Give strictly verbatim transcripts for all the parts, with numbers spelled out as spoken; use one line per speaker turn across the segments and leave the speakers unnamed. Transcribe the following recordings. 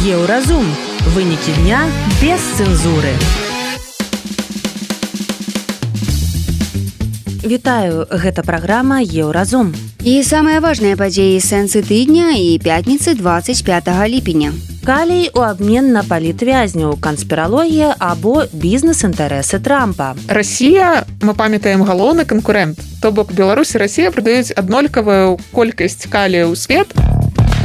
Еўразум. Вынікі дня без цэнзуры. Вітаю, гэта праграма Еўразум.
І самыя важныя падзеі сэнсы тыдня і пятніцы двадцать пятого ліпеня.
Калій у абмен на палітвязняў, канспіралогія або бізнес-інтарэсы Трампа.
Расія, мы памятаем, галоўны канкурэнт. То бок Беларусь і Расія прадаюць аднолькавую колькасць калія ў свет.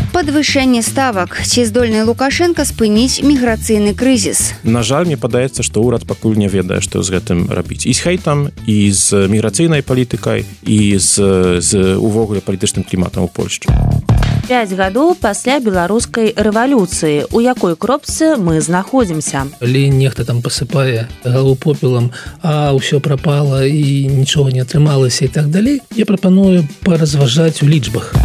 Падвышэнне ставак. Ці здольны Лукашенко спыніць міграцыйны крызіс?
На жаль, мне падаецца, што ўрад пакуль не ведае, што з гэтым рабіць. І з хейтам, і з міграцыйнай палітыкай, і з, з увогуле палітычным кліматам у Польшчы.
Пяць гадоў пасля беларускай рэвалюцыі. У якой кропцы мы знаходзімся?
Калі нехта там пасыпае галаву попелам, а ўсё прапала і нічога не атрымалася і так далей, я прапаную паразважаць у лічбах.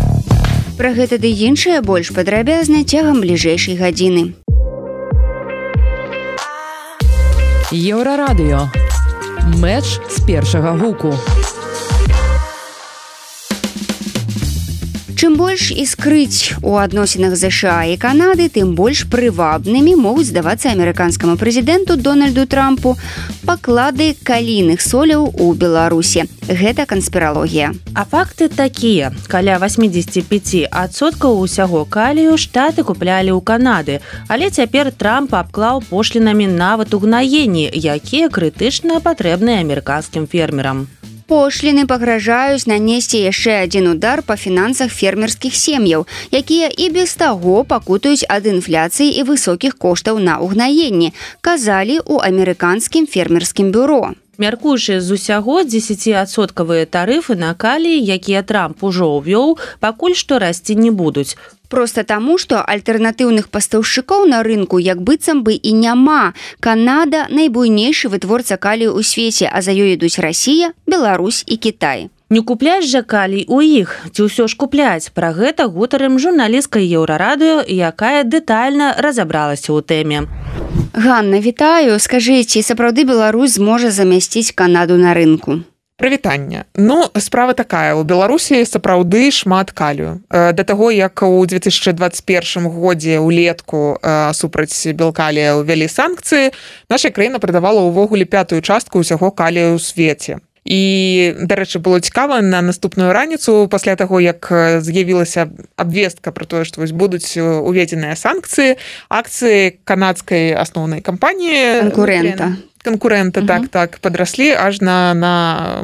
Пра гэта ды іншае больш падрабязна цягам бліжэйшай гадзіны.
Еўрарадыё. Мэч з першага гуку.
Чым больш іскрыць у адносінах ЗША і Канады, тым больш прывабнымі могуць здавацца амерыканскаму прэзідэнту Дональду Трампу паклады калійных соляў у Беларусі. Гэта канспіралогія.
А факты такія. Каля восемьдесят пять адсоткаў усяго калію штаты куплялі ў Канады, але цяпер Трамп абклаў пошлінамі нават угнаенні, якія крытычна патрэбныя амерыканскім фермерам.
Пошліны пагражаюць нанесці яшчэ адзін удар па фінансах фермерскіх сем'яў, якія і без таго пакутаюць ад інфляцыі і высокіх коштаў на угнаенні, казалі ў амерыканскім фермерскім бюро.
Мяркуючы з усяго, дзесяціадсоткавыя тарыфы на калій, якія Трамп ужо ўвёў, пакуль што расці не будуць.
Проста таму, што альтэрнатыўных пастаўшчыкоў на рынку як быццам бы і няма. Канада – найбуйнейшы вытворца калію ў свеце, а за ёй ідуць Расія, Беларусь і Кітай.
Не купляць жа калій у іх, ці ўсё ж купляць? Пра гэта гутарым журналісткай Еўрарадыё, якая дэтальна разабралася ў тэме.
Ганна, вітаю. Скажыце, сапраўды Беларусь зможа замясціць Канаду на рынку?
Прывітанне. Ну, справа такая. У Беларусі сапраўды шмат калію. Да таго, як у две тысячи двадцать первом годзе ўлетку супраць белкалія ўвялі санкцыі, наша краіна прадавала ўвогуле пятую частку ўсяго калію ў свеце. І, дарэчы, было цікава, на наступную раніцу, пасля таго, як з'явілася абвестка пра тое, што вось будуць уведзеныя санкцыі, акцыі канадскай асноўнай кампаніі
канкурэнта.
Конкуренты, uh-huh. так, так, падраслі аж на, на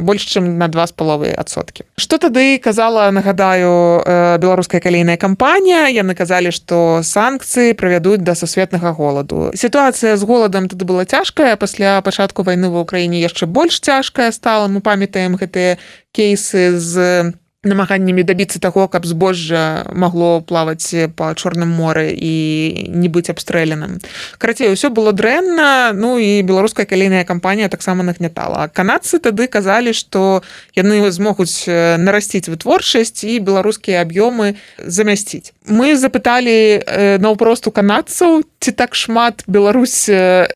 больш, чым на два з паловай адсоткі. Што тады казала, нагадаю, беларуская калійная кампанія? Яны казалі, што санкцыі прывядуць да сусветнага голаду. Сітуацыя з голадам тады была цяжкая, пасля пачатку вайны ва ўкраіне яшчэ больш цяжкая стала. Мы памятаем гэтыя кейсы з намаганнямі дабіцца таго, каб збожжа магло плаваць па Чорным моры і не быць абстрэленым. Карацей, усё было дрэнна, ну і беларуская калійная кампанія таксама нагнятала. А канадцы тады казалі, што яны змогуць нарасціць вытворчасць і беларускія аб'ёмы замясціць. Мы запыталі наўпрост у канадцаў, ці так шмат Беларусь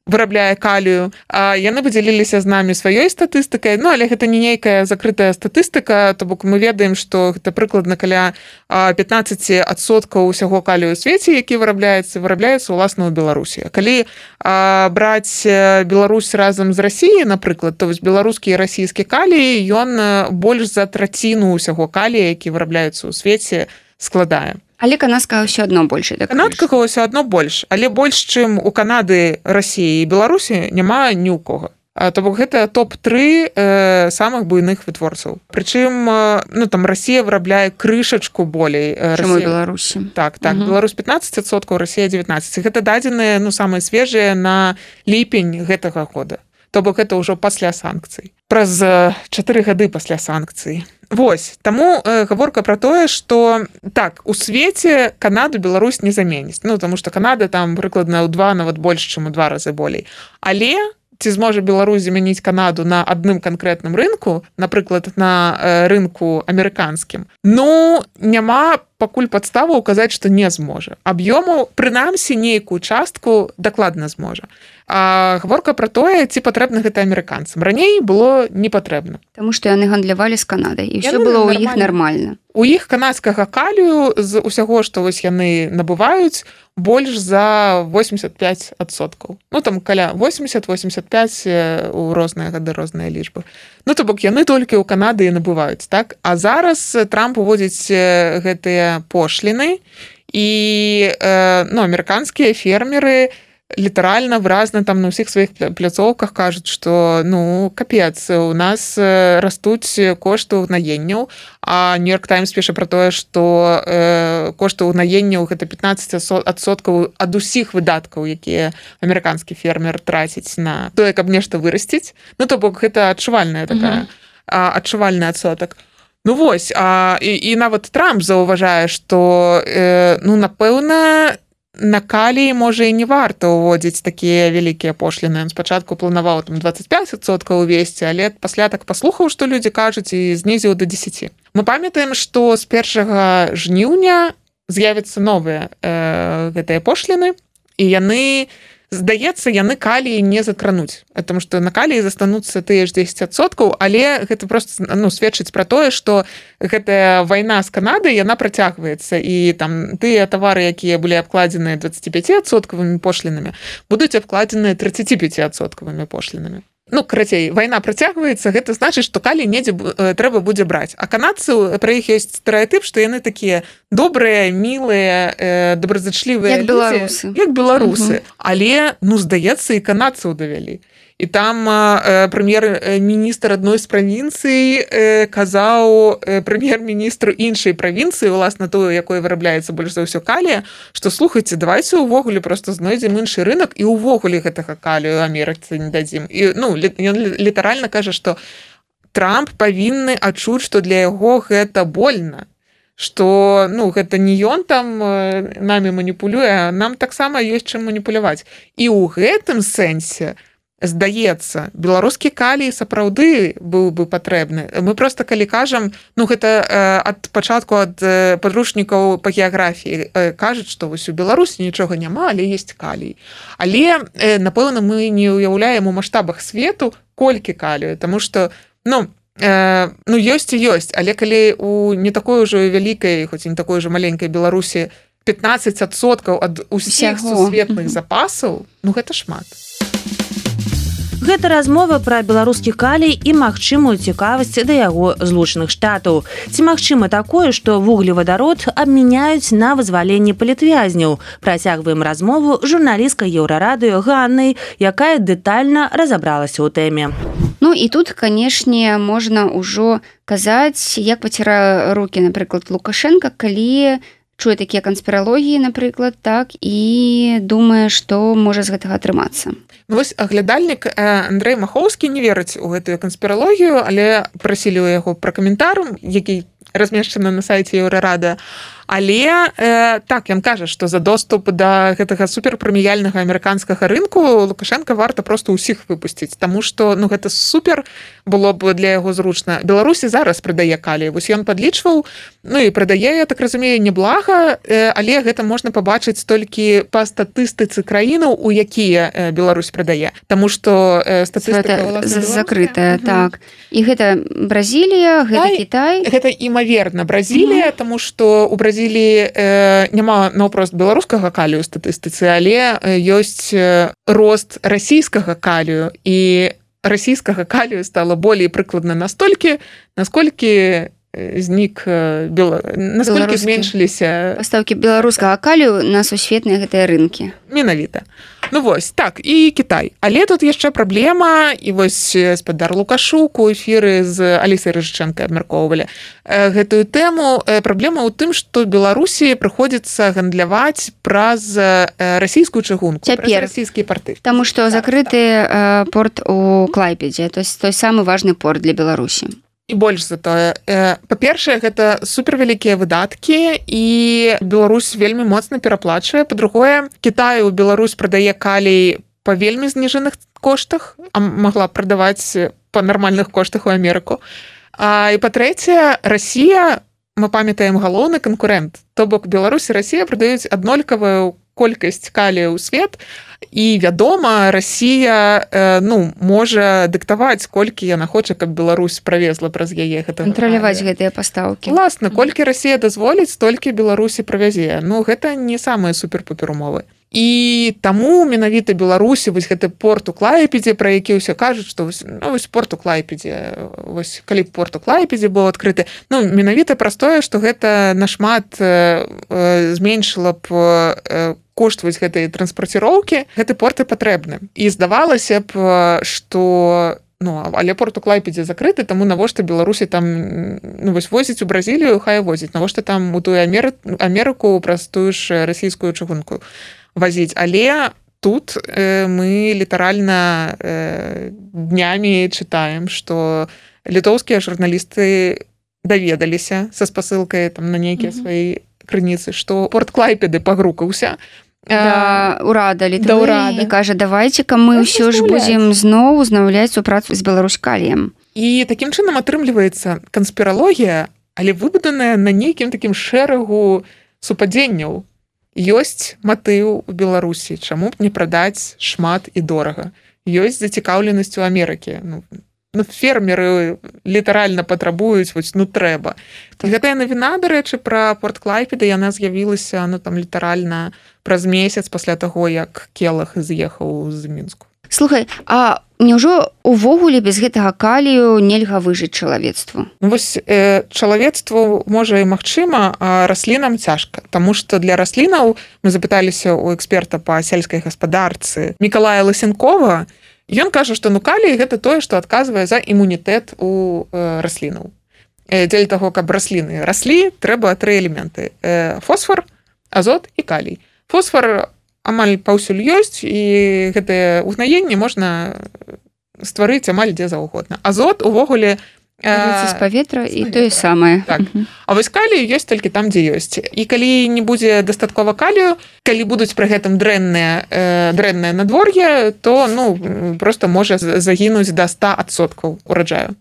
вырабляе калію, а яны падзяліліся з намі сваёй статыстыкай, ну але гэта не нейкая закрытая статыстыка, то бок мы ведаем, што гэта прыкладна каля пятнадцать адсоткаў усяго калію ў свеце, які вырабляецца, вырабляецца ўласна ў Беларусі. Калі а, браць Беларусь разам з Расіяй, напрыклад, то вось беларускі і расійскі калій, ён больш за траціну усяго калія, які вырабляецца ў свеце, складае.
Але канадскага ўсё адно больш.
Канадскага ўсё адно больш, але больш, чым у Канады, Расіі і Беларусі, няма ні ў кого. То бок гэта топ тры э, самых буйных вытворцаў. Прычым, э, ну там Расія вырабляе крышачку болей.
Чым у Беларусі.
Так, так. Угу. Беларусь пятнадцать адсоткаў, Расія девятнадцать. Гэта дадзеныя, ну, самыя свежыя на ліпень гэтага года. То бок гэта ўжо пасля санкцый. Праз чатыры гады пасля санкцый. Вось, таму э, гаворка пра тое, што так, у свеце Канаду Беларусь не заменіць. Ну, таму што Канада там прыкладна ў два, нават больш, чым у два разы болей. Але ці зможа Беларусь замяніць Канаду на адным канкрэтным рынку, напрыклад, на рынку амерыканскім, ну, няма пакуль падставу казаць, што не зможа. Аб'ёму, прынамсі, нейкую частку дакладна зможа. А гаворка пра тое, ці патрэбна гэта амерыканцам. Раней было не патрэбна.
Таму што яны гандлявалі з Канадай, і ўсё было ў іх нармальна.
У іх канадскага калію з усяго, што вось яны набываюць, больш за восемьдесят пять адсоткаў. Ну, там каля восемьдесят восемьдесят пять у розныя гады, розныя лічбы. Ну, то бок, яны толькі ў Канады і набываюць, так? А зараз Трамп уводзіць гэтыя пошліны, і ну, амерыканскія фермеры літаральна выразна там на ўсіх сваіх пляцоўках кажуць, што ну капец, у нас растуць кошты ўгнаенняў, а Нью-Йорк Таймс піша пра тое, што э, кошты ўгнаенняў гэта пятнадцать адсоткаў ад усіх выдаткаў, якія амерыканскі фермер траціць на тое, каб нешта вырасціць. Ну то бок гэта адчувальная такая mm-hmm. адчувальны адсотак. Ну вось, а, і, і нават Трамп заўважае, што э, ну напэўна на калій, можа, і не варта ўводзіць такія вялікія пошліны. Спачатку планаваў там двадцать пять адсоткаў увесці, але пасля так паслухаў, што людзі кажуць, і знізіў да десяти. Мы памятаем, што з першага жніўня з'явяцца новыя э, гэтыя пошліны, і яны, здаецца, яны калій не закрануць, потому што на каліі застануцца тыя ж десять адсоткаў, але гэта просто ну, сведчыць пра тое, што гэтая вайна з Канадай, яна працягваецца, і там тыя тавары, якія былі абкладзеныя двадцать пять адсоткавымі пошлінамі, будуць абкладзеныя тридцать пять адсоткавымі пошлінамі. Ну, карацей, вайна працягваецца, гэта значыць, што калій недзе э, трэба будзе браць. А канадцы, пра іх ёсць стэрэатып, што яны такія добрыя, мілыя, э, добразычлівыя
як беларусы.
Як беларусы. Угу. Але, ну, здаецца, і канадцаў давялі. І там э, прэм'ер-міністр адной з правінцый э, казаў э, прэм'ер-міністру іншай правінцыі, уласна тую, якой вырабляецца больш за ўсё калія, што слухайце, давайце ўвогуле просто знойдзем іншы рынок і ўвогуле гэтага калію Амерыцы не дадзім. І ну, ён літаральна кажа, што Трамп павінны адчуць, што для яго гэта больна, што ну, гэта не ён там э, намі маніпулюе, а нам таксама ёсць чым маніпуляваць. І ў гэтым сэнсе здаецца, беларускі калій сапраўды быў бы патрэбны. Мы просто калі кажам, ну гэта э, ад пачатку ад э, падручнікаў па геаграфіі э, кажуць, што вось у Беларусі нічога няма, але ёсць калій. Але э, напэўна мы не ўяўляем у маштабах свету колькі калію, таму што ну э, ну ёсць і ёсць, але калі у не такой ужо вялікай, хоць і не такой ужо маленькай Беларусі пятнадцать адсоткаў ад усіх сусветных запасаў, ну гэта шмат.
Гэта размова пра беларускі калій і магчымую цікавасць да яго злучаных штатаў. Ці магчыма такое, што вуглевадарод абмяняюць на вызваленне палітвязняў? Працягваем размову з журналісткай Еўрарадыё Ганнай, якая дэтальна разабралася ў тэме.
Ну і тут, канешне, можна ўжо казаць, як пацірае рукі, напрыклад, Лукашенка, калі чуе такія канспіралогіі, напрыклад, так, і думае, што можа з гэтага атрымацца.
Ну, вось аглядальнік Андрэй Махоўскі не верыць у гэтую канспіралогію, але прасілі ў яго пра каментар, які размешчаны на сайце Еўрарада. Але э, так, ён кажа, што за доступ да гэтага суперпрэміяльнага амерыканскага рынку Лукашенка варта проста ўсіх выпусціць, таму што ну, гэта супер было б для яго зручна. Беларусі зараз прадае калій. Вось ён падлічваў, ну і прадае, я так разумею, неблага, э, але гэта можна пабачыць толькі па статыстыцы краінаў, у якія э, Беларусь прадае. Таму што э, статыстыка
закрытая, угу. Так. І гэта Бразілія, гэта Ай, Кітай.
Гэта імаверна Бразілія, угу. Таму што у Бразіліі э, няма наўпрост беларускага калію ў статыстыцы, але ёсць рост расійскага калію, і расійскага калію стала болей прыкладна настолькі, насколькі знік бела... насколькі зменшыліся
пастаўкі беларускага калію на сусветныя гэтыя рынкі.
Менавіта. Ну вось, так, і Кітай. Але тут яшчэ праблема, і вось спадар Лукашук у эфіры з Алісай Рыжычэнкай абмяркоўвалі гэтую тэму. Праблема ў тым, што Беларусі прыходзіцца гандляваць праз расійскую чыгунку,
Цяпер.
праз расійскія порты.
Таму што так, закрыты так. порт у Клайпедзе, то есть той самы важны порт для Беларусі.
І больш за тое. Па-першае, гэта супервялікія выдаткі, і Беларусь вельмі моцна пераплачвае. Па-другое, Кітай у Беларусь прадае калій па вельмі зніжаных коштах, а магла прадаваць па нармальных коштах у Амерыку. А, і па-трэцяе, Расія мы памятаем галоўны канкурэнт. То бок Беларусь і Расія прадаюць аднолькавую колькасць калію ў свет, і, вядома, Расія ну, можа дыктаваць, колькі яна хоча, каб Беларусь правезла праз яе гэта.
Кантраляваць гэтыя пастаўкі.
Уласна, колькі Расія дазволіць, столькі Беларусі правязе. Ну, гэта не самыя супер-пупер умовы. І таму менавіта Беларусі вось гэты порт у Клайпедзе, пра які ўсё кажуць, што вось, ну, вось порт у Клайпедзе, вось калі б порт у Клайпедзе быў адкрыты, ну, менавіта праз тое, што гэта нашмат э, э, зменшыла б э, кошт вось гэтай транспарціроўкі, гэты порт і патрэбны. І здавалася б, што ну, але порт у Клайпедзе закрыты, таму навошта Беларусі там ну, вось возіць у Бразілію, хай возіць, навошта там у тую Амерыку праз тую ж расійскую чыгунку возіць. Але тут э, мы літаральна э, днямі чытаем, што літоўскія журналісты даведаліся са спасылкай там, на нейкія mm-hmm. свае крыніцы, што порт Клайпеды пагрукаўся.
Да, урада Літвы і кажа, давайце-ка мы ўсё ж будзем зноў узнаўляць супрацу з Беларусь-Каліем.
І такім чынам атрымліваецца канспіралогія, але выбуданая на нейкім такім шэрагу супадзенняў. Ёсць матыў у Беларусі, чаму б не прадаць шмат і дорага. Ёсць зацікаўленасць у Амерыкі. Ну, ну, фермеры літаральна патрабуюць, вось, ну, трэба. Так. Гэтая навіна, дарэчы, пра порт Клайпеда, яна з'явілася, ну, там, літаральна праз месяц пасля таго, як Келах з'ехаў з Мінску.
Слухай, а няўжо увогуле без гэтага калію нельга выжыць чалавецтву?
Ну, вось э, чалавецтву можа і магчыма, а раслінам цяжка, таму што для раслінаў мы запыталіся ў эксперта па сельскай гаспадарцы Мікалая Лысенкова. Ён кажа, што ну калій гэта тое, што адказвае за імунітэт у э, раслінаў. Э, дзеля таго, каб расліны раслі, трэба тры элементы: э, фосфар, азот і калій. Фосфар амаль паўсюль ёсць, і гэтае ўгнаенне можна стварыць амаль дзе заўгодна. Азот увогуле
э, з паветра і тое самае.
Так. Uh-huh. А вось калій ёсць толькі там, дзе ёсць. І калі не будзе дастаткова калію, калі будуць пры гэтым дрэннае э, дрэннае надвор'е, то ну проста можа загінуць да ста адсоткаў ураджаю.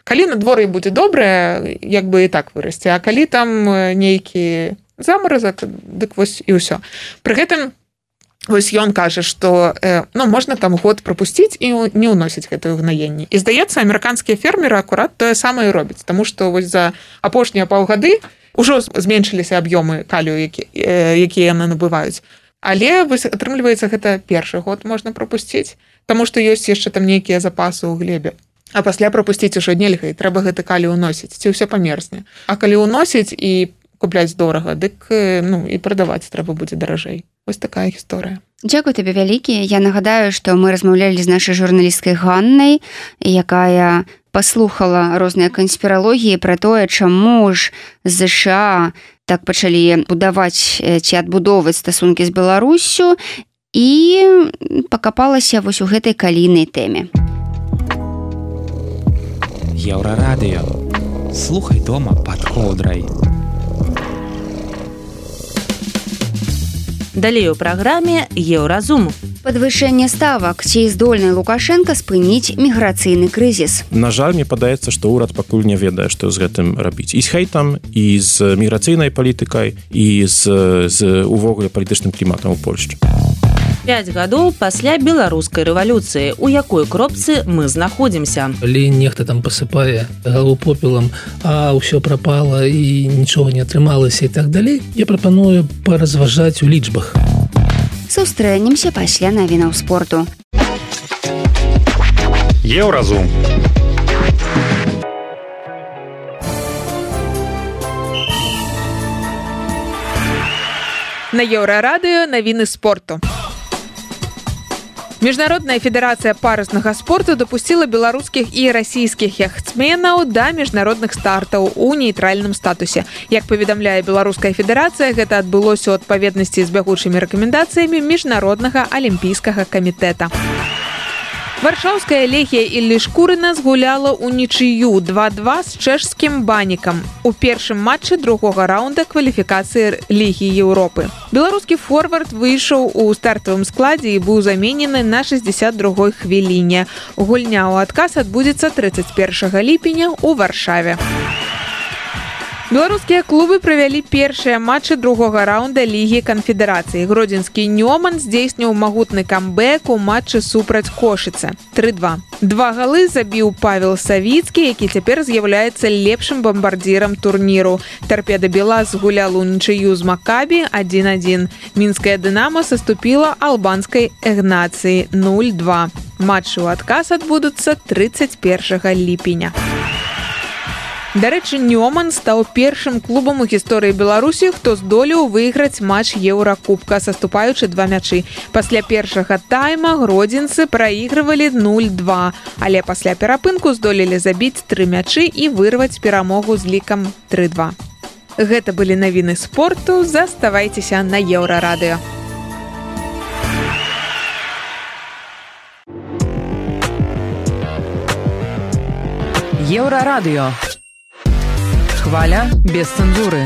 Калі надвор'е будзе добрае, як бы і так вырасце, а калі там нейкі замаразак, дык вось і ўсё. Пры гэтым вось ён кажа, што э, ну, можна там год прапусціць і не ўносіць гэтае ўгнаенне. І здаецца, амерыканскія фермеры акурат тое самае робяць, таму што вось за апошнія паўгады ўжо зменшыліся аб'ёмы калію, які, э, якія яны набываюць. Але вось атрымліваецца, гэта першы год можна прапусціць, таму што ёсць яшчэ там нейкія запасы ў глебе. А пасля прапусціць ужо нельга, і трэба гэты калій уносіць, ці ўсё памерзне. А калі уносіць і купляць дорага, дык ну, і прадаваць трэба будзе даражэй. Вось такая гісторыя.
Дзякуй табе вялікі. Я нагадаю, што мы размаўлялі з нашай журналісткай Ганнай, якая паслухала розныя канспіралогіі пра тое, чаму ж ЗША так пачалі будаваць ці адбудоўваць стасункі з Беларуссю, і пакапалася вось у гэтай калійнай тэме.
Еўрарадыё. Слухай дома пад коўдрай.
Далей у праграме Еўразум.
Падвышэнне ставак. Ці здольны Лукашенка спыніць міграцыйны крызіс?
На жаль, мне падаецца, што ўрад пакуль не ведае, што з гэтым рабіць. І з хейтам, і з міграцыйнай палітыкай, і з, з увогуле палітычным кліматам у Польшчы.
Пяць гадоў пасля беларускай рэвалюцыі. У якой кропцы мы знаходзімся?
Калі нехта там пасыпае галаву попелам, а ўсё прапала і нічога не атрымалася і так далей, я прапаную паразважаць у лічбах.
Сустрэнемся пасля навінаў спорту.
Еўразум.
На Еўрарадыё навіны спорту. Міжнародная федэрацыя паруснага спорту дапусціла беларускіх і расійскіх яхтсменаў да міжнародных стартаў у нейтральным статусе. Як паведамляе беларуская федэрацыя, гэта адбылося ў адпаведнасці з бягучымі рэкамендацыямі міжнароднага алімпійскага камітэта. Варшаўская Лехія Іллі Шкурына згуляла ў нічыю два-два з чэшскім Банікам у першым матчы другога раунда кваліфікацыі Лігі Еўропы. Беларускі форвард выйшаў у стартавым складзе і быў заменены на шэсцьдзесят другой хвіліне. Гульня ў адказ адбудзецца трыццаць першага ліпеня ў Варшаве. Беларускія клубы правялі першыя матчы другога раунда Лігі канфедэрацыі. Гродзенскі Нёман здзейсніў магутны камбэк у матчы супраць Кошыца. тры два. Два галы забіў Павел Савіцкі, які цяпер з'яўляецца лепшым бамбардзірам турніру. Тарпеда Белаз гулял у нічыю з Макабі адзін адзін. Мінская Дынамо саступіла албанскай Эгнацыі нуль два. Матчы ў адказ адбудуцца трыццаць першага ліпеня. Дарэчы, Нёман стаў першым клубам у гісторыі Беларусі, хто здолеў выйграць матч Еўракубка, саступаючы два мячы. Пасля першага тайма гродзенцы праігрывалі нуль два, але пасля перапынку здолелі забіць тры мячы і вырваць перамогу з лікам тры два. Гэта былі навіны спорту, заставайцеся на Еўрарадыё.
Еўрарадыё. Хваля без цэнзуры.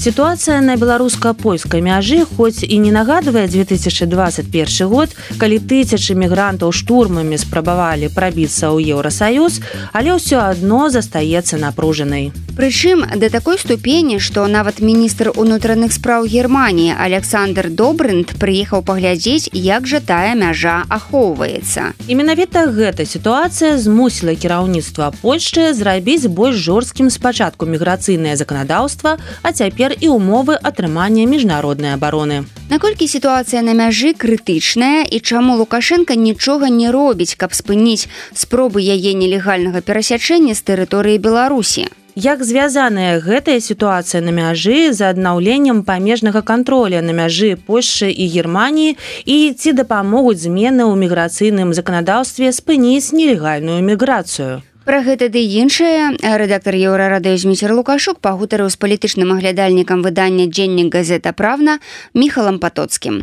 Сітуацыя на беларуска-польскай мяжы хоць і не нагадвае две тысячы двадцать першы год, калі тысячы мігрантаў штурмамі спрабавалі прабіцца ў Еўрасаюз, але ўсё адно застаецца напружанай.
Прычым да такой ступені, што нават міністр унутраных спраў Германіі Александр Добрынд прыехаў паглядзець, як жа тая мяжа ахоўваецца.
І менавіта гэта сітуацыя змусіла кіраўніцтва Польшчы зрабіць больш жорсткім спачатку міграцыйнае заканадаўства, а цяпер і умовы атрымання міжнароднай абароны.
Наколькі сітуацыя на мяжы крытычная і чаму Лукашенка нічога не робіць, каб спыніць спробы яе нелегальнага перасячэння з тэрыторыі Беларусі?
Як звязаная гэтая сітуацыя на мяжы з аднаўленнем памежнага кантроля на мяжы Польшчы і Германіі і ці дапамогуць змены ў міграцыйным заканадаўстве спыніць нелегальную міграцыю?
Пра гэта ды іншае рэдактар Еўрарадыё Зміцер Лукашук пагутарыў з палітычным аглядальнікам выдання «Дзеннік газета Правна» Міхалам Патоцкім.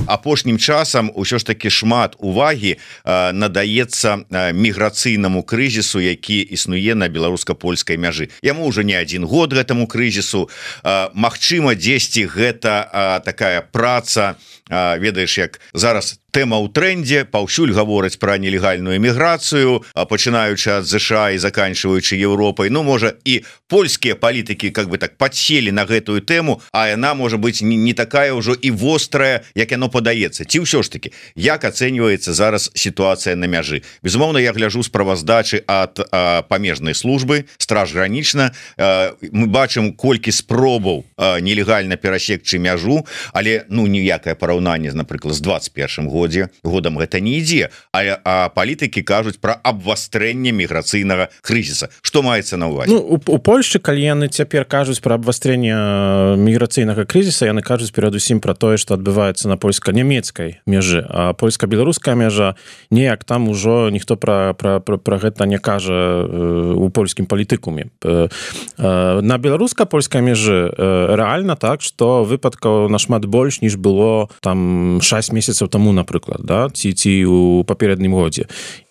Апошнім часам ўсё ж такі шмат увагі э, надаецца э, міграцыйнаму крызісу, які існуе на беларуска-польскай мяжы. Яму ўжо не адзін год гэтаму крызісу. Э, Магчыма, дзесьці гэта э, такая праца, э, ведаеш, як зараз тэма ў трэндзе, паўсюль гавораць пра нелегальную міграцыю, пачынаючы ад ЗША і заканчваючы Еўропай. Ну, можа, і польскія палітыкі как бы так падселі на гэтую тэму, а яна можа быць не, не такая ўжо і вострая, як яно падаецца. Ці ўсё ж таки, як ацэньваецца зараз сітуацыя на мяжы? Безумоўна, я гляжу справаздачы ад а, памежнай службы, страж гранічна. А, мы бачым, колькі спробаў а, нелегальна перасекчы мяжу, але ну ніякае параўнанне, напрыклад, з двадцать першым годзе годам гэта не ідзе, а, а палітыкі кажуць пра абвастрэнне міграцыйнага крызіса. Што маецца на ўвазе?
Ну, у, у Польшчы, калі яны цяпер кажуць пра абвастрэнне міграцыйнага крызіса, яны кажуць перадусім пра тое, што адбываецца на польска-нямецкай мяжы, а польска-беларуская мяжа неяк там ужо ніхто пра, пра, пра, пра гэта не кажа у польскім палітыкуме. На беларуска-польскай мяжы рэальна так, што выпадкаў нашмат больш, ніж было там шэсць месяцаў таму, напрыклад, да? ці, ці у папереднім годзе.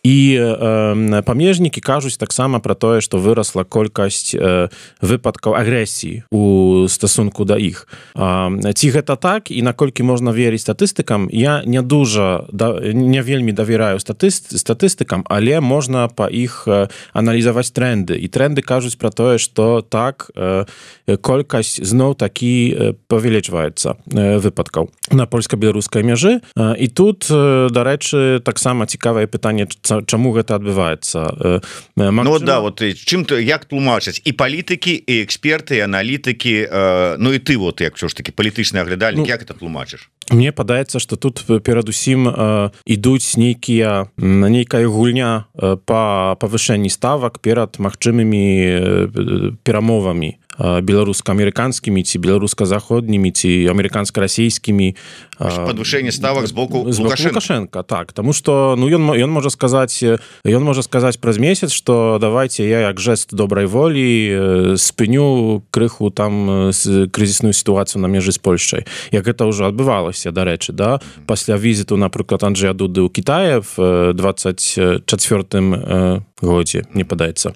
І э, памежнікі кажуць таксама пра тое, што вырасла колькасць э, выпадкаў агрэсіі у стасунку да іх. Э, ці гэта так, і наколькі можна верыць статыстыкам, я не дужа, да, не вельмі давераю статыст, статыстыкам, але можна па іх э, аналізаваць тренды. І тренды кажуць пра тое, што так, э, колькасць зноў такі э, павялічваецца э, выпадкаў на польска-беларускай мяжы. Э, і тут, э, дарэчы, таксама цікавае пытанне, чаму гэта адбываецца. Магчыма...
Ну да, вот чым то як тлумачаць і палітыкі, і эксперты, і аналітыкі, э, ну і ты вот як ўсё ж таки палітычны аглядальнік, ну, як это тлумачыш?
Мне падаецца, што тут перадусім э, ідуць нейкія нейкая гульня э, па павышэнні ставак перад магчымымі э, перамовамі беларуска-амерыканскімі ці беларуска-заходнімі ці амерыканска-расійскімі.
Падвышэнне ставак з боку Лукашенка.
Лукашенка, так, таму што ну ён ён можа сказаць ён можа сказаць праз месяц, што давайте я як жэст добрай волі спыню крыху там крызісную сітуацыю на межы з Польшчай. Як гэта ўжо адбывалася, дарэчы, да, пасля візіту, напрыклад, Анджэя Дуды ў Кітаі в двадцать чацвёртым годзе, не падаецца.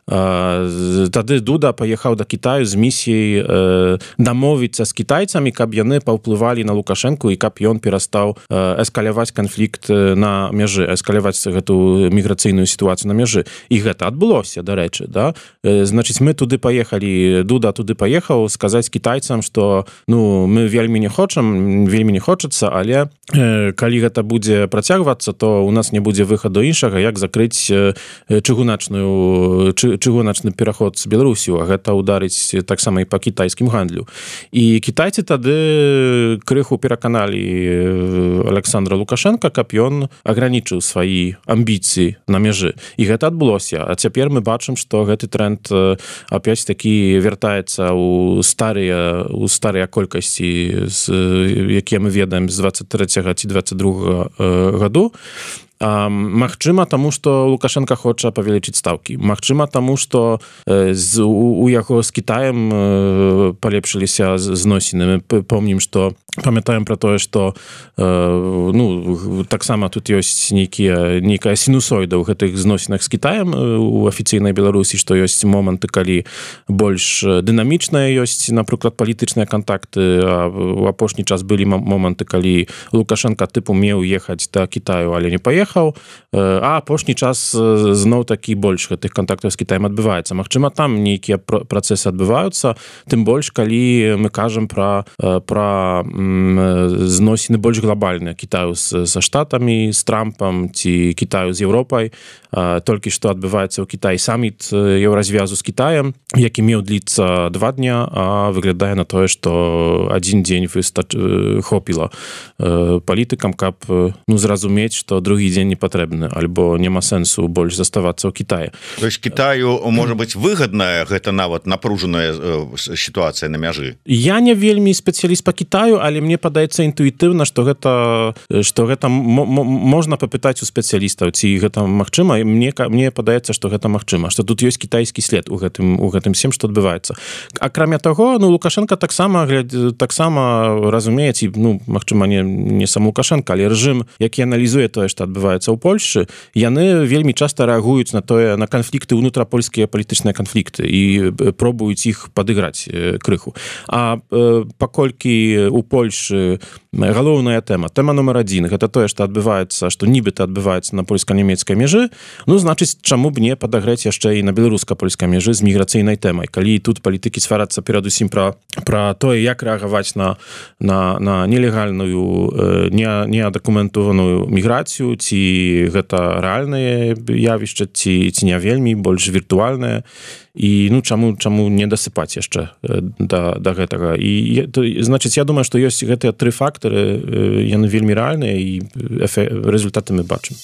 тады Дуда паехаў да Кітаю з місіяй дамовіцца з кітайцамі, каб яны паўплывалі на Лукашэнку і каб ён перастаў эскаляваць канфлікт на мяжы, эскаляваць гэту міграцыйную сітуацыю на мяжы. І гэта адбылося, дарэчы, да? Значыць, мы туды паехалі, Дуда туды паехаў сказаць кітайцам, што ну, мы вельмі не хочам, вельмі не хочацца, але калі гэта будзе працягвацца, то у нас не будзе выхаду іншага, як закрыць чыгуначную чыгуначны пераход з Беларусю, а гэта ударыць таксама і па кітайскім гандлю. І кітайцы тады крыху пераканалі Александра Лукашенка, каб ён агранічыў свае амбіцыі на мяжы. І гэта адбылося. А цяпер мы бачым, што гэты тренд опять-таки вяртаецца ў старыя, ў старыя колькасці, якія мы ведаем з дваццаць трэцяга ці дваццаць другога году. Магчыма, таму, што Лукашенко хоча павялічыць стаўкі. Магчыма, таму, што з, у, у яго з Кітаем палепшыліся зносіны. Мы помнім, што памятаем пра тое, што ну, таксама тут ёсць нейкія, нейкая сінусоіда ў гэтых зносінах з Кітаем у афіцыйнай Беларусі, што ёсць моманты, калі больш дынамічныя ёсць, напрыклад, палітычныя кантакты, а ў апошні час былі моманты, калі Лукашенко тыпу меў ехаць да Кітаю, але не паехаў, а апошні час зноў такі больш гэтых кантактаў з Кітаем адбываецца. Магчыма, там нейкія працэсы адбываюцца, тым больш, калі мы кажам пра, пра зносіны больш глобальныя Кітаю з, са Штатамі, з Трампам ці Кітаю з Еўропай. Толькі што адбываецца ў Кітаі саміт еўразвязу з Кітаем, які меў дліцца два дня, а выглядае на тое, што адзін дзень выстач... хопіла палітыкам, каб ну, зразумець, што другі дзень не патрэбны, альбо няма сэнсу больш заставацца ў Кітаі.
То есть Кітаю, можа быць, выгадная гэта нават напружаная сітуацыя на мяжы?
Я не вельмі спецыяліст па Кітаю, але мне падаецца інтуітыўна, што гэта, што гэта можна папытаць у спецыялістаў, ці гэта магчыма. Мне, мне падаецца, што гэта магчыма, што тут ёсць кітайскі след у гэтым, у гэтым всем, што адбываецца. Акрамя таго, ну, Лукашенко таксама, таксама разумее, ці, ну, магчыма, не, не сам Лукашенко, але рэжым, які аналізуе тое, што адбываецца ў Польшчы, яны вельмі часта рэагуюць на тое, на канфлікты, унутрапольскія палітычныя канфлікты і пробуюць іх падыграць крыху. А паколькі у Польшчы галоўная тэма, тэма нумар адзін, гэта тое, што адбываецца, што нібыта адбываецца на польска-нямецкай мяжы, ну, значыць, чаму б не падагрэць яшчэ і на беларуска-польскай мяжы з міграцыйнай тэмай. Калі тут палітыкі сварацца перадусім пра, пра тое, як рэагаваць на, на, на нелегальную, не, неадакументованую міграцыю, ці гэта рэальнае явішча, ці, ці не вельмі, больш віртуальнае. І, ну, чаму, чаму не дасыпаць яшчэ да, да гэтага. І, то, значыць, я думаю, што ёсць гэтыя тры фактары, яны вельмі рэальныя, і рэзультаты мы бачым.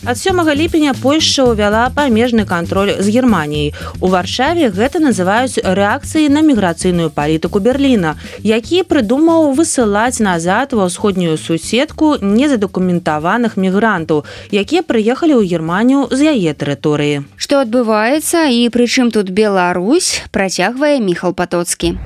Ад сёмага ліпеня Польшча ўвяла памежны кантроль з Германіяй. У Варшаве гэта называюць рэакцыяй на міграцыйную палітыку Берліна, які прыдумаў высылаць назад ва ўсходнюю суседку незадакументаваных мігрантаў, якія прыехалі ў Германію з яе тэрыторыі.
Што адбываецца і прычым тут Беларусь, працягвае Міхал Патоцкі.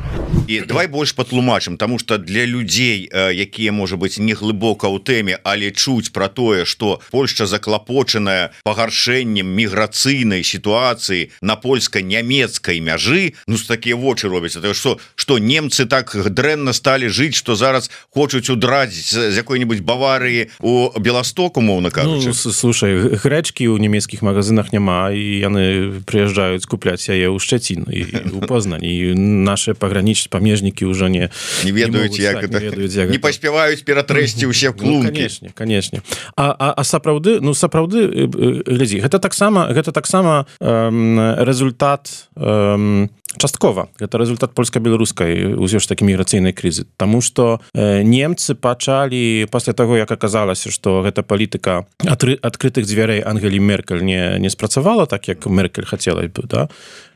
І давай больш патлумачым, таму што для людзей, якія, можа быць, не глыбока ў тэме, але чуць пра тое, што Польшча заклапочаная пагаршэннем міграцыйнай сітуацыі на польска-нямецкай мяжы, ну, з такія вочы робяцца, што, што немцы так дрэнна сталі жыць, што зараз хочуць удраць з якой-небудзь Баварыі у Беласток, умоўна кажучы.
Ну, слушай, грэчкі ў нямецкіх магазинах няма, і яны прыязджаюць купляць яе ў Шчацін і ў Познаń, і нашы пагранічныя памежнікі ўжо не
не ведаюць,
не,
як
так,
это,
не, ведаюць, як
не паспяваюць ператрэсці ўсе клункі.
Ну, канешне, канешне. А, а, а сапраўды, ну, сапраўды, глядзі, гэта таксама, гэта таксама эм, результат эм, часткова. Гэта результат польска-беларускай ўсё ж такі міграцыйнай крызы. Таму што э, немцы пачалі, пасля таго, як аказалася, што гэта палітыка атры, адкрытых дзвярэй Ангелі Меркель не, не спрацавала так, як Меркель хацела бы, да?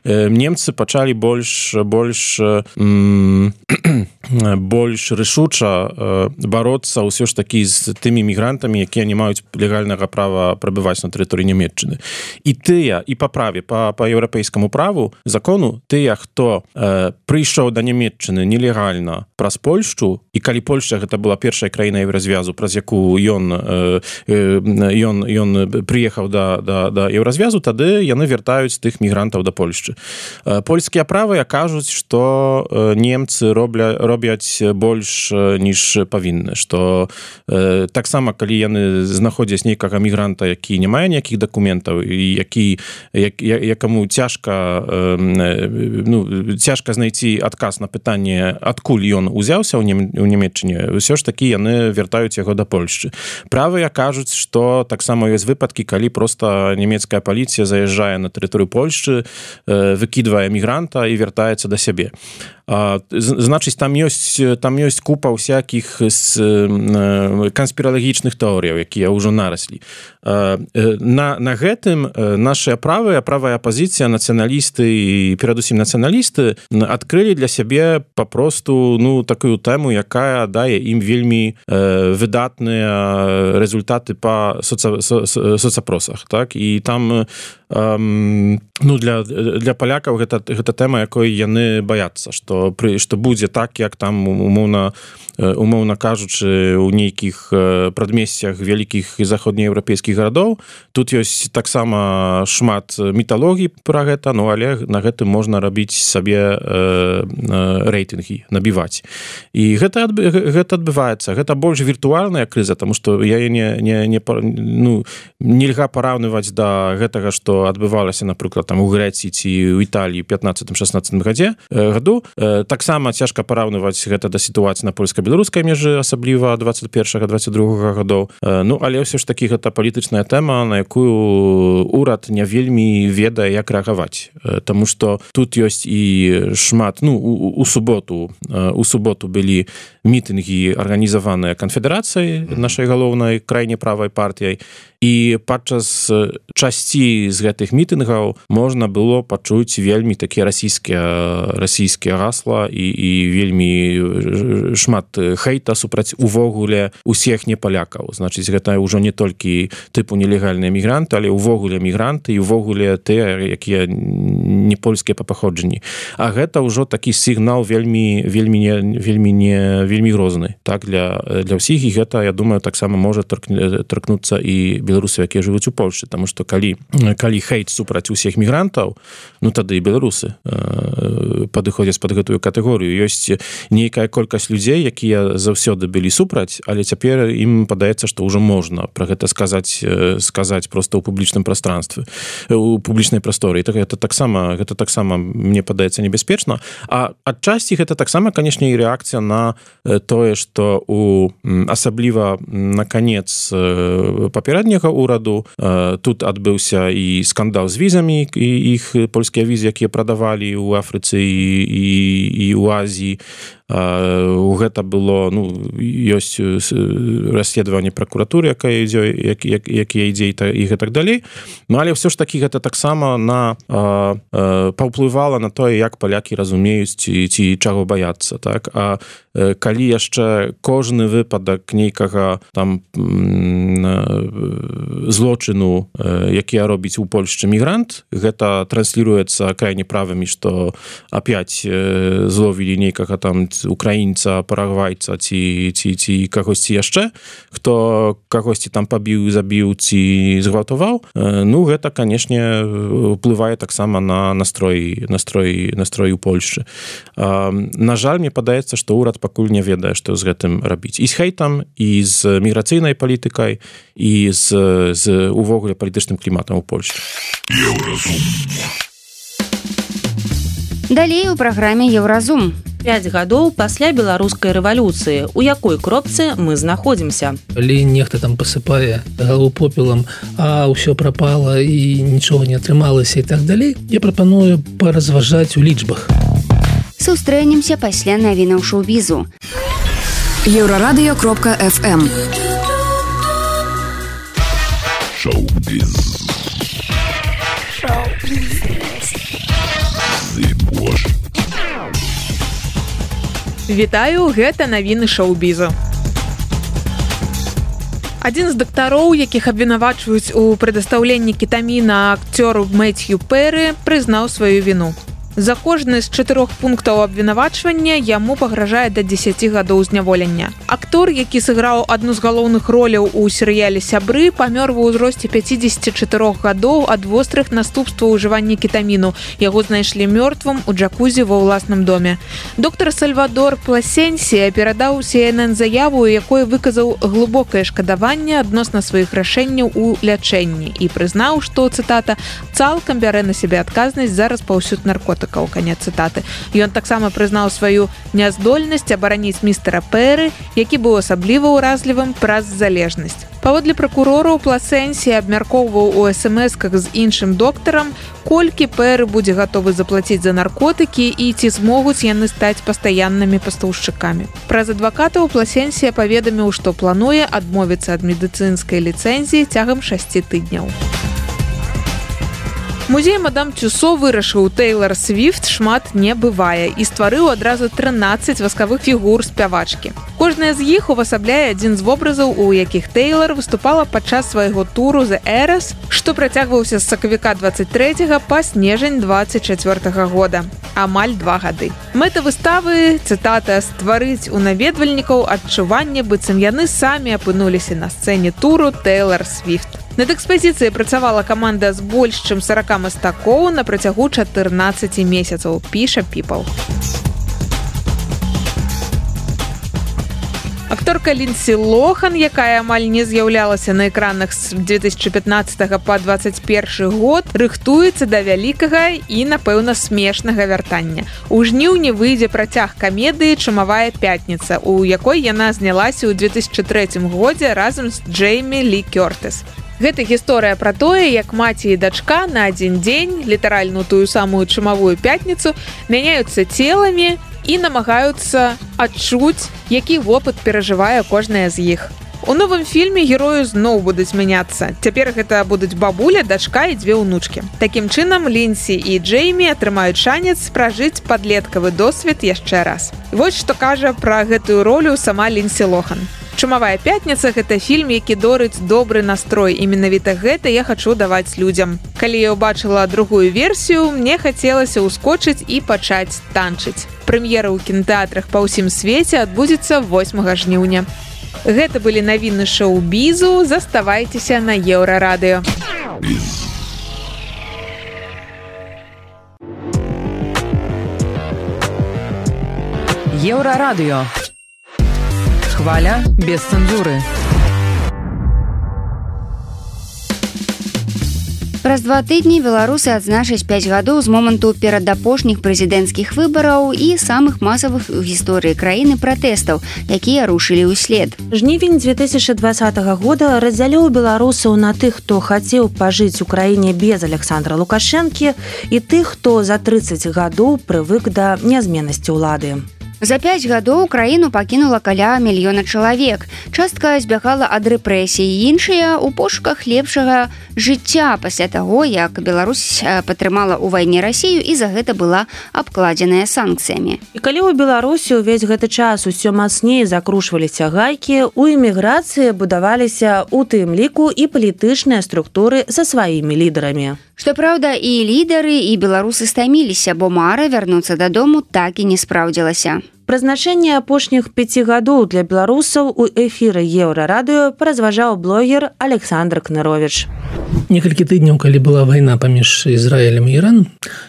Э, немцы пачалі больш, больш м, больш рашуча бароцца ўсё ж такі з тымі мігрантамі, якія не маюць легальнага права прабываць на тэрыторыі Нямецчыны. І тыя, і па праве, па, па еўрапейскаму праву, закону, тыя, хто э, прыйшоў да Нямецчыны нелегальна праз Польшчу, і калі Польшча гэта была першая краіна еўразвязу, праз якую ён, э, ён, ён прыехаў да, да, да еўразвязу, тады яны вяртаюць тых мігрантаў да Польшчы. Э, польскія правы кажуць, што э, немцы робля, робяць больш, ніж павінны, што э, таксама, калі яны знаходзяць нейкага мігранта, які не мае ніякіх дакументаў, і які, як, якаму цяжка, э, ну, цяжка знайти адказ на пытанне, адкуль ён узяўся ў Нямецчыне, ўсё ж такі яны вяртаюць яго да Польшчы. Правыя кажуць, што таксама ёсць выпадкі, калі проста нямецкая паліцыя заязджае на тэрыторыю Польшчы, э, выкідвае мігранта і вяртаецца да сябе. А, значыць, там ёсць, там ёсць купа ўсякіх канспіралагічных тэорыяў, якія ўжо нараслі. На, на гэтым нашыя правыя, правая апазіцыя, нацыяналісты і перадусім нацыяналісты адкрылі для сябе папросту, ну, такую тэму, якая дае ім вельмі э, выдатныя результаты па соца, со, соцапросах, так? І там эм, ну, для, для палякаў гэта, гэта тэма, якой яны баяцца, што, пры, што будзе так, як там умоўна, умоўна кажучы, у нейкіх прадмесцях вялікіх і заходнееўрапейскіх гарадоў. Тут ёсць таксама шмат міталогій пра гэта, ну, але на гэтым можна рабіць сабе э, рэйтынгі, набіваць. І гэта, гэта адбываецца. Гэта больш віртуальная крыза, таму што я не, не, не, ну, нельга параўнываць да гэтага, што адбывалася, напрыклад, там у Грэцыі ці ў Італіі ў пятнаццатым-шаснаццатым гадзе, году. Таксама цяжка параўнываць гэта да сітуацыі на польска-беларускай межы, асабліва дваццаць першага дваццаць другога гадоў. Ну, але ўсё ж такі гэта палітычная тэма, на якую урад не вельмі ведае, як рэагаваць. Таму што тут ёсць і шмат, ну, у, у суботу, у суботу былі мітынгі, арганізаваныя канфедэрацыяй, нашай галоўнай крайне правай партыяй, і падчас часці з гэтых мітынгаў можна было пачуць вельмі такія расійскія расійскія гасла і, і вельмі шмат хейта супраць увогуле усіх непалякаў. Значыць, гэта ўжо не толькі тыпу нелегальныя мігранты, але ўвогуле мігранты і ўвогуле тыя, якія не польскія па паходжанні. А гэта ўжо такі сігнал вельмі вельмі не вельмі не вельмі грозны, так, для для ўсіх, і гэта, я думаю, таксама можа торкнуцца і беларусы, якія жывуць у Польшчы, таму што калі калі хейт супраць усіх мігрантаў, ну тады і беларусы э, падыходзяць пад гэтую катэгорыю. Ёсць нейкая колькасць людзей, якія заўсёды былі супраць, але цяпер ім падаецца, што ўжо можна пра гэта сказаць сказаць проста ў публічным прастранстве, у публічнай прасторы. І так гэта таксама гэта таксама мне падаецца небяспечна. А адчасці гэта таксама, канешне, і рэакцыя на тое, што у асабліва на канец папярэдняга ураду тут адбыўся і скандал з візамі, і іх польскія візы, якія прадавалі ў Афрыцы і, і, і ў Азіі. Гэта было, ну, ёсць расследаванне пракуратуры, якая ідзе, як, як, якія ідзе і гэтак далей. Ну, але ўсё ж такі гэта таксама на а, а, паўплывала на тое, як палякі разумеюць ці, ці чаго баяцца, так? А калі яшчэ кожны выпадак нейкага там злочыну, які робіць у Польшчы мігрант, гэта трансліруецца крайне правымі, што апять зловілі нейкага там украінца, парагвайца ці, ці, ці кагосьці яшчэ, хто кагосьці там пабіў, забіў ці згвалтаваў. Ну, гэта, канешне, ўплывае таксама на настрой, настрой, настрой у Польшчы. На жаль, мне падаецца, што ўрад пакуль не ведае, што з гэтым рабіць. І з хейтам, і з міграцыйнай палітыкай, і з, з увогуле палітычным кліматам у Польшчы.
Далей у праграме Еўразум.
Пяць гадоў пасля беларускай рэвалюцыі. У якой кропцы мы знаходзімся?
Калі нехта там пасыпае галаву попелам, а ўсё прапала і нічога не атрымалася і так далей, я прапаную паразважаць у лічбах.
Сустрэнемся пасля навінаў шоу-бізу.
еўрарадыё кропка эф эм.
Шоу-біз. Шоу-біз.
Вітаю, гэта навіны шоу-бізу. Адзін з дактароў, якіх абвінавачваюць у прадастаўленні кетаміна акцёру Мэцью Пэры, прызнаў сваю віну. За кожны з чатырох пунктаў абвінавачвання яму пагражае да дзесяці гадоў зняволення. Актор, які сыграў адну з галоўных роляў у серыяле «Сябры», памёр ва ўзросце пяцідзесяці чатырох гадоў ад вострых наступстваў ужывання кетаміну. Яго знайшлі мёртвым у джакузі ва ўласным доме. Доктар Сальвадор Пласенсія перадаў Си Эн Эн заяву, у якой выказаў глыбокае шкадаванне адносна сваіх рашэнняў у лячэнні і прызнаў, што, цытата, «цалкам бярэ на сябе адказнасць за распаўсюд наркотыкаў». Канец цытаты. Ён таксама прызнаў сваю няздольнасць абараніць містера Пэры, які быў асабліва ўразлівым праз залежнасць. Паводле пракурораў, Пласенсія абмяркоўваў у эс эм эсках з іншым доктарам, колькі Пэры будзе гатовы заплаціць за наркотыкі і ці змогуць яны стаць пастаяннымі пастаўшчыкамі. Праз адвакатаў Пласенсія паведаміў, што плануе адмовіцца ад медыцынскай ліцэнзіі цягам шасці тыдняў. Музей Мадам Тюсо вырашыў Тэйлар Свіфт шмат не бывае і стварыў адразу трынаццаць васкавых фігур спявачкі. Кожная з іх увасабляе адзін з вобразаў, у якіх Тэйлар выступала падчас свайго туру «The Eras», што працягваўся з сакавіка дваццаць трэцяга па снежань дваццаць чацвёртага года. Амаль два гады. Мэта выставы, цытата, стварыць у наведвальнікаў адчуванне, быццам яны самі апынуліся на сцэне туру Тэйлар Свіфт. Над экспазіцыяй працавала каманда з больш чым сарака мастакоў на працягу чатырнаццаці месяцаў, піша People. Акторка Ліндсі Лохан, якая амаль не з'яўлялася на экранах з две тысячы пятнаццатага па дваццаць першы год, рыхтуецца да вялікага і, напэўна, смешнага вяртання. У жніўні выйдзе працяг камедыі «Чумавая пятніца», у якой яна знялася ў две тысячы трэцім годзе разам з Джеймі Лі Кёртыс. Гэта гісторыя пра тое, як маці і дачка на адзін дзень, літаральна тую самую чумавую пятніцу, мяняюцца целамі і намагаюцца адчуць, які вопыт перажывае кожная з іх. У новым фільме герою зноў будуць мяняцца. Цяпер гэта будуць бабуля, дачка і дзве ўнучкі. Такім чынам, Ліндсі і Джеймі атрымаюць шанец пражыць падлеткавы досвед яшчэ раз. Вось што кажа пра гэтую ролю сама Ліндсі Лохан. «Чумавая пятніца» – гэта фільм, які дорыць добры настрой. І менавіта гэта я хачу даваць людзям. Калі я ўбачыла другую версію, мне хацелася ўскочыць і пачаць танчыць. Прэм'ера ў кінатэатрах па ўсім свеце адбудзецца восьмага жніўня. Гэта былі навіны шоу-бізу. Заставайцеся на Еўрарадыё.
Еўрарадыё. Хваля без цэнзуры.
Праз два тыдні беларусы адзначаць пяць гадоў з моманту перадапошніх прэзідэнцкіх выбараў і самых масавых у гісторыі краіны пратэстаў, якія рушылі ўслед.
Жнівень две тысячи двадцатага года раздзяліў беларусаў на тых, хто хацеў пажыць у краіне без Александра Лукашэнкі, і тых, хто за трыццаць гадоў прывык да нязменнасці ўлады.
За пяць гадоў краіну пакінула каля мільёна чалавек. Частка збягала ад рэпрэсій, іншыя ў пошуках лепшага жыцця пасля таго, як Беларусь падтрымала ў вайне Расію і за гэта была абкладзеная санкцыямі.
І калі ў Беларусі ўвесь гэты час усё мацней закручваліся гайкі, у эміграцыі будаваліся у тым ліку і палітычныя структуры са сваімі лідарамі.
Што праўда, і лідары, і беларусы стаміліся, бо мара вярнуцца дадому так і не спраўдзілася.
Прызначэнне апошніх пяці гадоў для беларусаў у эфіры Еўрарадыё паразважаў блогер Александр Кныровіч.
Некалькі тыдняў, калі была вайна паміж Ізраілем і Іраном,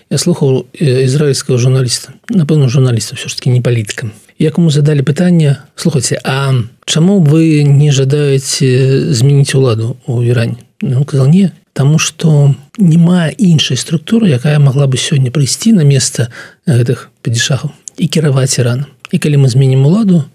я слухаў ізраільскага журналіста, напэўна, журналіста, ўсё ж такі не палітыка. Якому задалі пытанне: слухайце, а чаму вы не жадаеце змяніць уладу ў Іране? Ён казаў: не, таму што няма іншай структуры, якая магла бы сёння прыйсці на месца гэтых падзішахаў і кіраваць Іраном. І калі мы зменім уладу,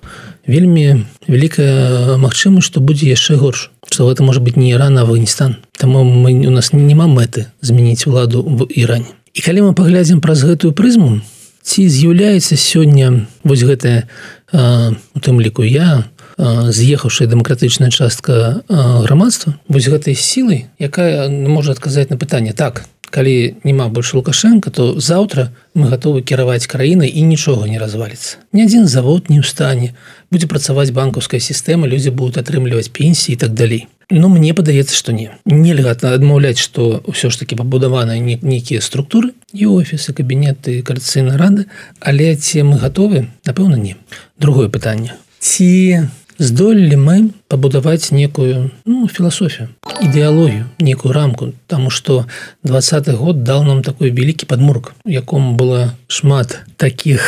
вельмі вялікая магчымасць, што будзе яшчэ горш, што гэта можа быць не Іран, а Афганістан. Таму мы, у нас няма мэты змяніць уладу в Іране. І калі мы паглядзім праз гэтую прызму, ці з'яўляецца сёння вось гэтая, у тым ліку я, з'ехаўшая дэмакратычная частка грамадства, вось гэтай сілай, якая можа адказаць на пытанне: так, калі няма больше Лукашенко, то заўтра мы готовы кіраваць краінай і нічога не разваліцца. Ні адзін завод не ў стане, будзе працаваць банкаўская сістэма, людзі будуць атрымліваць пенсіі і так далей. Но мне падаецца, што не. Нельга адмаўляць, што ўсё ж такі пабудаваныя нейкія структуры, і офісы, кабінеты, кааліцыйныя рады, але ці мы гатовы? Напэўна, не. Другое пытанне. Ці здолелі мы пабудаваць некую ну, філасофію, ідэалогію, некую рамку, таму што двадцаты год даў нам такой вялікі падмурк, у якому было шмат такіх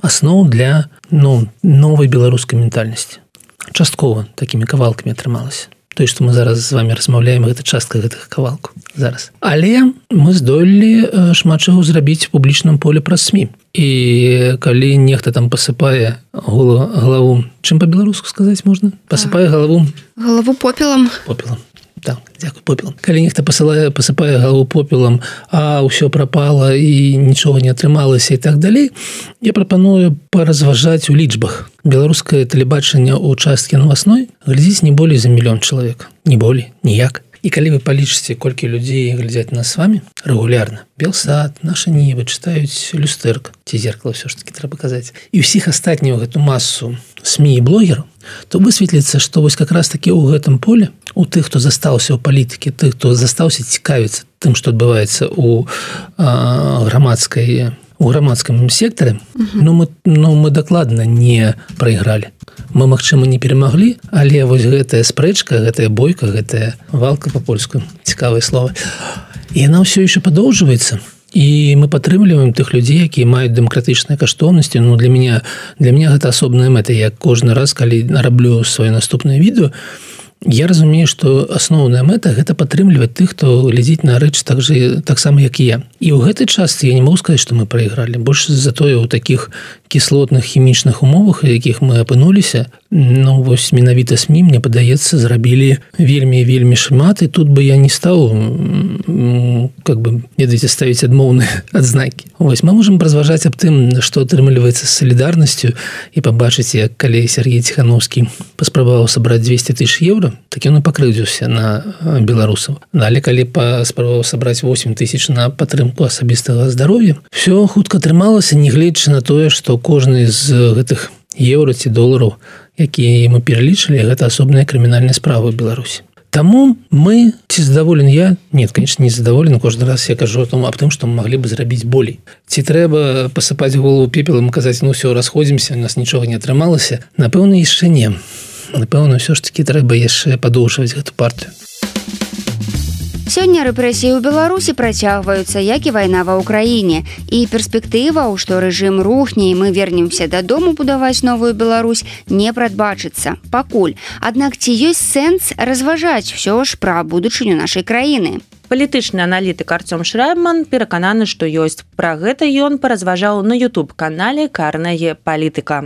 асноў для ну, новай беларускай ментальнасці. Часткова такімі кавалкамі атрымалася. Той, што мы зараз з вами размаўляем, гэта частка гэтых кавалку зараз. Але мы здолелі шмат чаго зрабіць у публічным поле праз СМІ. І калі нехта там пасыпае галаву, чым па-беларуску сказаць можна? Пасыпае галаву...
Галаву попелам.
Попелам. Так, дзякуй, попелам. Калі нехта пасылае, пасыпае галаву попелам, а ўсё прапала і нічога не атрымалася і так далей, я прапаную паразважаць у лічбах. Беларускае тэлебачанне ў часткі новасной глядзіць не болей за мільён чалавек. Не болей, ніяк. І калі вы палічыце, колькі людзей глядзяць нас з вами рэгулярна, Белсат, наша Нівы чытаюць люстэрка, ці зеркала ўсё ж такі трэба казаць, і ўсіх астатнюю гэту масу СМІ і блогераў, то высветліцца, што вось как раз такі ў гэтым поле, у тых, хто застаўся ў палітыкі, тых, хто застаўся цікавіцца тым, што адбываецца ў грамадскай у грамадскім сектары, uh-huh. ну, мы, ну, мы дакладна не прайгралі. Мы, магчыма, не перамаглі, але вось гэтая спрэчка, гэтая бойка, гэтая валка па-польску, цікавае слово, і яна ўсё яшчэ падоўжваецца. І мы падтрымліваем тых людзей, якія маюць дэмакратычныя каштоўнасці. Ну, для мяне, для мяне гэта асобная мэта. Я кожны раз, калі раблю сваё наступнае відэо, я разумею, што асноўная мэта гэта падтрымліваць тых, хто глядзіць на рэч так же, таксама, як і я. І ў гэтай частцы я не могу сказаць, што мы прайгралі. Больш за тое ў такіх кіслотных хімічных умовах, у якіх мы апынуліся, ну, вось менавіта СМІ, мне падаецца, зрабілі вельмі вельмі шмат, і тут бы я не стаў как бы, ведаеце, ставіць адмоўныя адзнакі. Вось мы можам разважаць аб тым, што атрымліваецца з салідарнасцю, і пабачыць, як калі Сергей Ціхановскі паспрабаваў сабраць двесце тысяч еўра, так ён і пакрыўдзіўся на беларусаў. Але калі паспрабаваў сабраць восемь тысяч на падтрымку асабістага здароўя, все хутка атрымалася, нягледзячы на тое, што кожны з гэтых еўра ці долараў, якія мы пералічылі, гэта асобная крымінальная справа ў Беларусі. Таму мы, ці задаволен я? Нет, конечно, не задаволен. Кожны раз я кажу аб тым, што мы маглі бы зрабіць болей. Ці трэба пасыпаць голову пепелам і казаць, ну все, расходзімся, у нас нічога не атрымалася? Напэўна, яшчэ не. Напэўна, ўсё ж такі трэба яшчэ падоўжваць гэту партыю.
Сёння рэпрэсіі ў Беларусі працягваюцца, як і вайна ва ўкраіне. І перспектыва, што рэжым рухне і мы вернемся дадому будаваць новую Беларусь, не прадбачыцца. Пакуль. Аднак ці ёсць сэнс разважаць ўсё ж пра будучыню нашай краіны?
Палітычны аналітык Артём Шрайбман перакананы, што ёсць. Пра гэта ён паразважаў на ютуб-канале «Карная политика».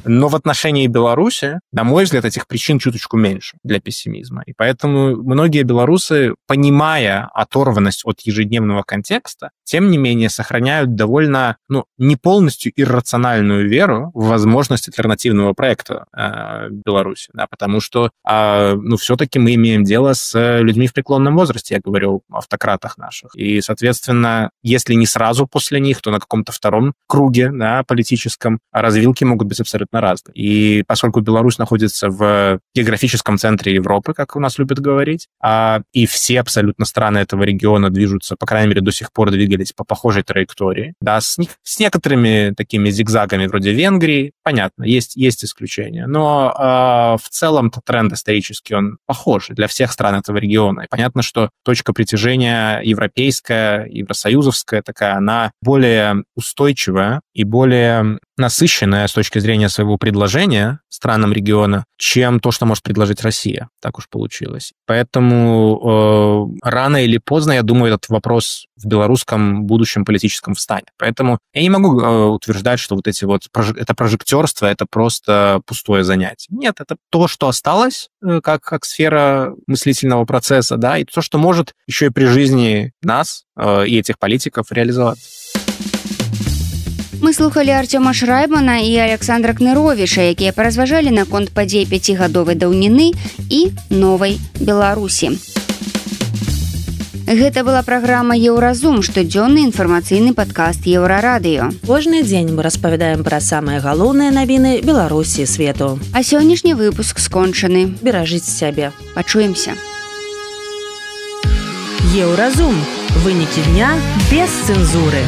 Но в отношении Беларуси, на мой взгляд, этих причин чуточку меньше для пессимизма. И поэтому многие белорусы, понимая оторванность от ежедневного контекста, тем не менее сохраняют довольно, ну, не полностью иррациональную веру в возможность альтернативного проекта э, Беларуси. Да, потому что, э, ну, все-таки мы имеем дело с людьми в преклонном возрасте, я говорю о автократах наших. И, соответственно, если не сразу после них, то на каком-то втором круге, да, политическом, развилки могут быть абсолютно разные. И поскольку Беларусь находится в географическом центре Европы, как у нас любят говорить, а, и все абсолютно страны этого региона движутся, по крайней мере, до сих пор двигались по похожей траектории, да, с, с некоторыми такими зигзагами вроде Венгрии, понятно, есть, есть исключения, но а, в целом-то тренд исторический, он похожий для всех стран этого региона. И понятно, что точка притяжения европейская, евросоюзовская такая, она более устойчивая и более насыщенная с точки зрения своего предложения странам региона, чем то, что может предложить Россия. Так уж получилось. Поэтому э, рано или поздно, я думаю, этот вопрос в белорусском будущем политическом встанет. Поэтому я не могу э, утверждать, что вот эти вот это прожектерство, это просто пустое занятие. Нет, это то, что осталось э, как, как сфера мыслительного процесса, да, и то, что может еще и при жизни нас э, и этих политиков реализоваться.
Мы слухали Артёма Шрайбмана і Александра Кныровіча, якія паразважалі наконт падзей пяцігадовай даўніны і новай Беларусі. Гэта была праграма «Еўразум», штодзённы інфармацыйны падкаст Еўрарадыё.
Кожны дзень мы распавядаем пра самыя галоўныя навіны Беларусі і свету.
А сённяшні выпуск скончаны.
Беражыце сябе.
Пачуемся.
Еўразум. Вынікі дня без цэнзуры.